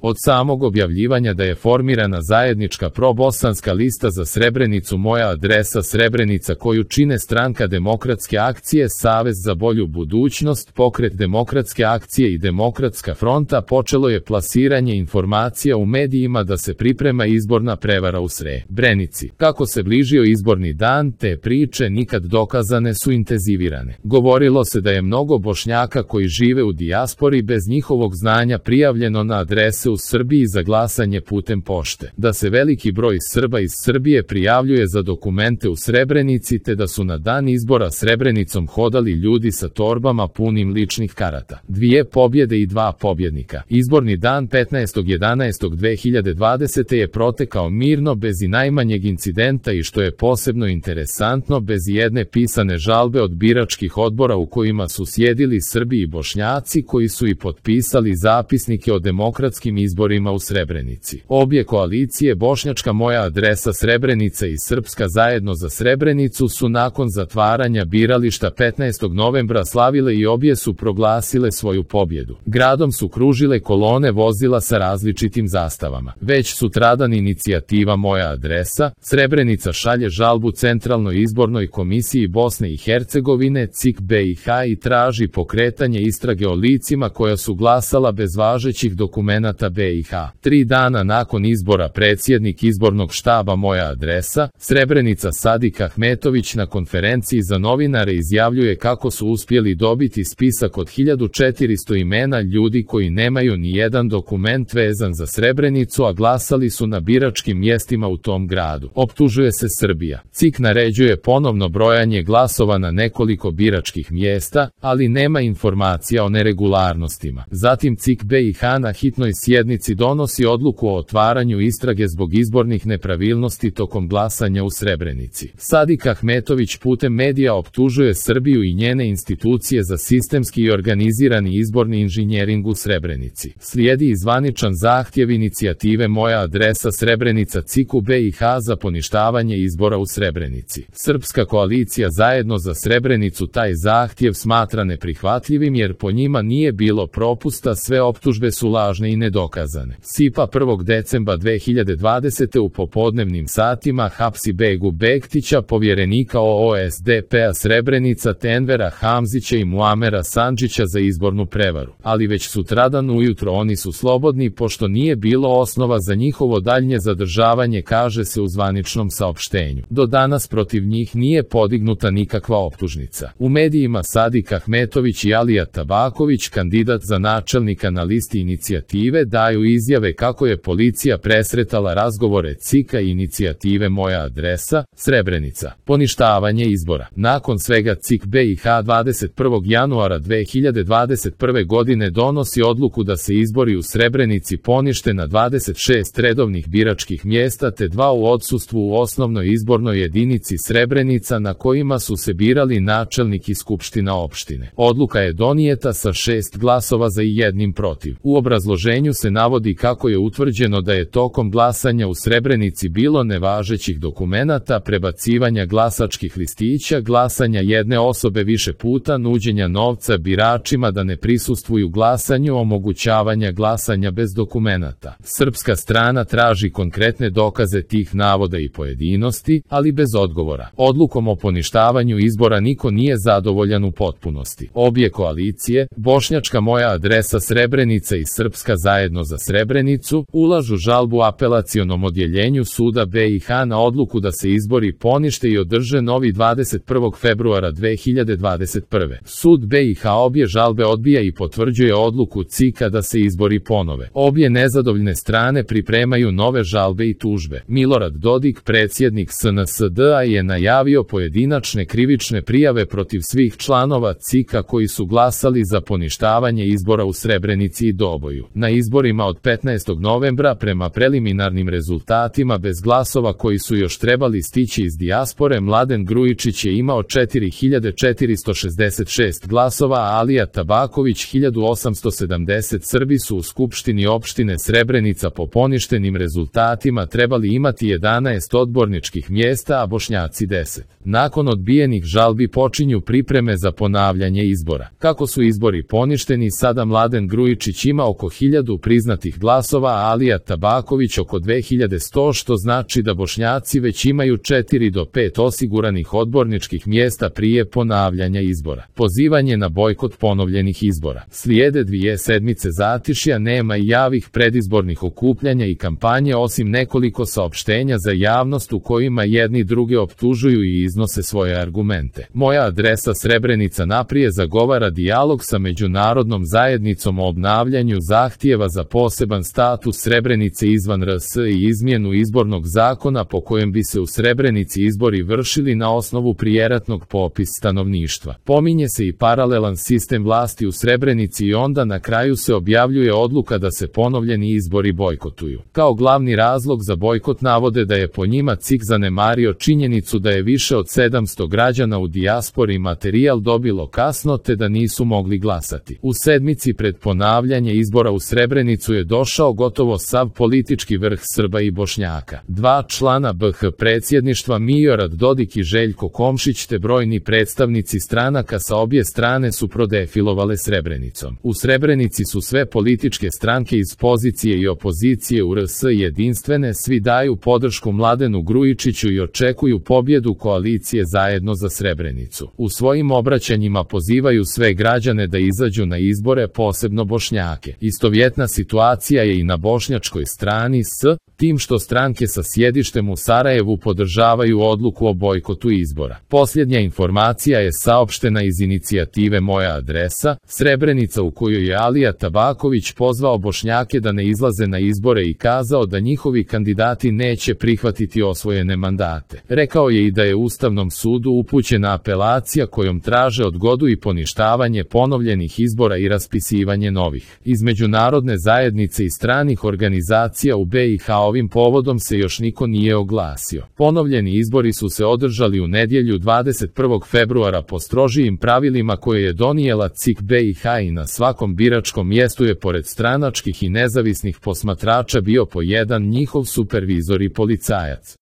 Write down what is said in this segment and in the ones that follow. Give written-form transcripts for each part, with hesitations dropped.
Od samog objavljivanja da je formirana zajednička probosanska lista za Srebrenicu Moja adresa Srebrenica koju čine Stranka demokratske akcije, Savez za bolju budućnost, Pokret demokratske akcije i Demokratska fronta, počelo je plasiranje informacija u medijima da se priprema izborna prevara u Srebrenici. Kako se bližio izborni dan, te priče nikad dokazane su intenzivirane. Govorilo se da je mnogo Bošnjaka koji žive u dijaspori bez njihovog znanja prijavljeno na adrese u Srbiji za glasanje putem pošte, da se veliki broj Srba iz Srbije prijavljuje za dokumente u Srebrenici te da su na dan izbora Srebrenicom hodali ljudi sa torbama punim ličnih karata. 2 pobjede i 2 pobjednika. Izborni dan 15.11.2020. je protekao mirno bez i najmanjeg incidenta i što je posebno interesantno bez jedne pisane žalbe od biračkih odbora u kojima su sjedili Srbi i Bošnjaci koji su i potpisali zapisnike o demokratskim izborima u Srebrenici. Obje koalicije Bošnjačka Moja adresa Srebrenica i Srpska zajedno za Srebrenicu su nakon zatvaranja birališta 15. novembra slavile i obje su proglasile svoju pobjedu. Gradom su kružile kolone vozila sa različitim zastavama. Već sutradan inicijativa Moja adresa Srebrenica šalje žalbu Centralnoj izbornoj komisiji Bosne i Hercegovine CIK BiH i traži pokretanje istrage o licima koja su glasala bez važećih dokumenata BiH. 3 dana nakon izbora predsjednik izbornog štaba Moja adresa Srebrenica Sadik Ahmetović na konferenciji za novinare izjavljuje kako su uspjeli dobiti spisak od 1400 imena ljudi koji nemaju ni jedan dokument vezan za Srebrenicu, a glasali su na biračkim mjestima u tom gradu. Optužuje se Srbija. CIK naređuje ponovno brojanje glasova na nekoliko biračkih mjesta, ali nema informacija o neregularnostima. Zatim CIK BiH na hitnoj sjednici donosi odluku o otvaranju istrage zbog izbornih nepravilnosti tokom glasanja u Srebrenici. Sadik Ahmetović putem medija optužuje Srbiju i njene institucije za sistemski i organizirani izborni inženjering u Srebrenici. Slijedi i zvaničan zahtjev inicijative Moja adresa Srebrenica CIK-u BiH za poništavanje izbora u Srebrenici. Srpska koalicija zajedno za Srebrenicu taj zahtjev smatra neprihvatljivim jer po njima nije bilo propusta, sve optužbe su lažne i nedokazane. SIPA 1. decembra 2020. u popodnevnim satima hapsi Begu Bektića, povjerenika OOSDP-a Srebrenica te Envera Hamzića i Muamera Sandžića za izbornu prevaru. Ali već sutradan ujutro oni su slobodni pošto nije bilo osnova za njihovo daljnje zadržavanje, kaže se u zvaničnom saopštenju. Do danas protiv njih nije podignuta nikakva optužnica. U medijima Sadik Ahmetović i Alija Tabaković, kandidat za načelnika na listi inicijative, daju izjave kako je policija presretala razgovore CIK-a i inicijative Moja adresa Srebrenica. Poništavanje izbora. Nakon svega CIK BiH 21. januara 2021. godine donosi odluku da se izbori u Srebrenici ponište na 26 redovnih biračkih mjesta te 2 u odsustvu u osnovnoj izbornoj jedinici Srebrenica na kojima su se birali načelnik i skupština opštine. Odluka je donijeta sa 6 glasova za i 1 protiv. U obrazloženju se navodi kako je utvrđeno da je tokom glasanja u Srebrenici bilo nevažećih dokumenata, prebacivanja glasačkih listića, glasanja jedne osobe više puta, nuđenja novca biračima da ne prisustvuju glasanju, omogućavanja glasanja bez dokumenata. Srpska strana traži konkretne dokaze tih navoda i pojedinosti, ali bez odgovora. Odlukom o poništavanju izbora niko nije zadovoljan u potpunosti. Obje koalicije, Bošnjačka Moja adresa Srebrenica i Srpska zajedno za Srebrenicu, ulažu žalbu apelacionom odjeljenju suda BiH na odluku da se izbori ponište i održe novi 21. februara 2021. Sud BiH obje žalbe odbija i potvrđuje odluku CIK-a da se izbori ponove. Obje nezadovoljne strane pripremaju nove žalbe i tužbe. Milorad Dodik, predsjednik SNSD-a, je najavio pojedinačne krivične prijave protiv svih članova CIK-a koji su glasali za poništavanje izbora u Srebrenici i Doboju. Na izborima od 15. novembra prema preliminarnim rezultatima bez glasova koji su još trebali stići iz dijaspore, Mladen Grujičić je imao 4466 glasova, a Alija Tabaković 1870. Srbi su u skupštini opštine Srebrenica po poništenim rezultatima trebali imati 11 odborničkih mjesta, a Bošnjaci 10. Nakon odbijenih žalbi počinju pripreme za ponavljanje izbora. Kako su izbori poništeni, sada Mladen Grujičić ima oko 1000 priznatih glasova, a Alija Tabaković oko 2100, što znači da Bošnjaci već imaju 4 do 5 osiguranih odborničkih mjesta prije ponavljanja izbora. Pozivanje na bojkot ponovljenih izbora. Slijede 2 sedmice zatišja, nema i javih predizbornih okupljanja i kampanje osim nekoliko saopštenja za javnost u kojima jedni druge optužuju i iznose svoje argumente. Moja adresa Srebrenica naprije zagovara dijalog sa međunarodnom zajednicom o obnavljanju zahtjeva za poseban status Srebrenice izvan RS i izmjenu izbornog zakona po kojem bi se u Srebrenici izbori vršili na osnovu prijeratnog popisa stanovništva. Pominje se i paralelan sistem vlasti u Srebrenici i onda na kraju se objavljuje odluka da se ponovljeni izbori bojkotuju. Kao glavni razlog za bojkot navode da je po njima CIK zanemario činjenicu da je više od 700 građana u dijaspori materijal dobilo kasno te da nisu mogli glasati. U sedmici pred ponavljanje izbora u Srebrenicu je došao gotovo sav politički vrh Srba i Bošnjaka. 2 člana BH predsjedništva Milorad Dodik i Željko Komšić te brojni predstavnici stranaka sa obje strane su prodefilovale Srebrenicom. U Srebrenici su sve političke stranke iz pozicije i opozicije u RS jedinstvene, svi daju podršku Mladenu Grujičiću i očekuju pobjedu koalicije Zajedno za Srebrenicu. U svojim obraćanjima pozivaju sve građane da izađu na izbore, posebno Bošnjake. Istovjetna situacija je i na bošnjačkoj strani s tim što stranke sa sjedištem u Sarajevu podržavaju odluku o bojkotu izbora. Posljednja informacija je saopštena iz inicijative Moja adresa Srebrenica, u kojoj je Alija Tabaković pozvao Bošnjake da ne izlaze na izbore i kazao da njihovi kandidati neće prihvatiti osvojene mandate. Rekao je i da je Ustavnom sudu upućena apelacija kojom traže odgodu i poništavanje ponovljenih izbora i raspisivanje novih. Iz međunarodne zajednice i stranih organizacija u BiH ovim povodom se još niko nije oglasio. Ponovljeni izbori su se održali u nedjelju 21. februara po strožijim pravilima koje je donijela CIK BiH i na svakom biračkom mjestu je pored stranačkih i nezavisnih posmatrača bio po jedan njihov supervizor i policajac.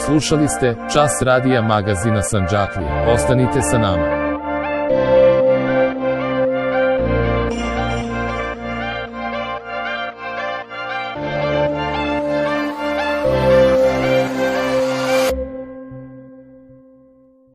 Slušali ste Čas radija magazina Sandžaklije. Ostanite sa nama.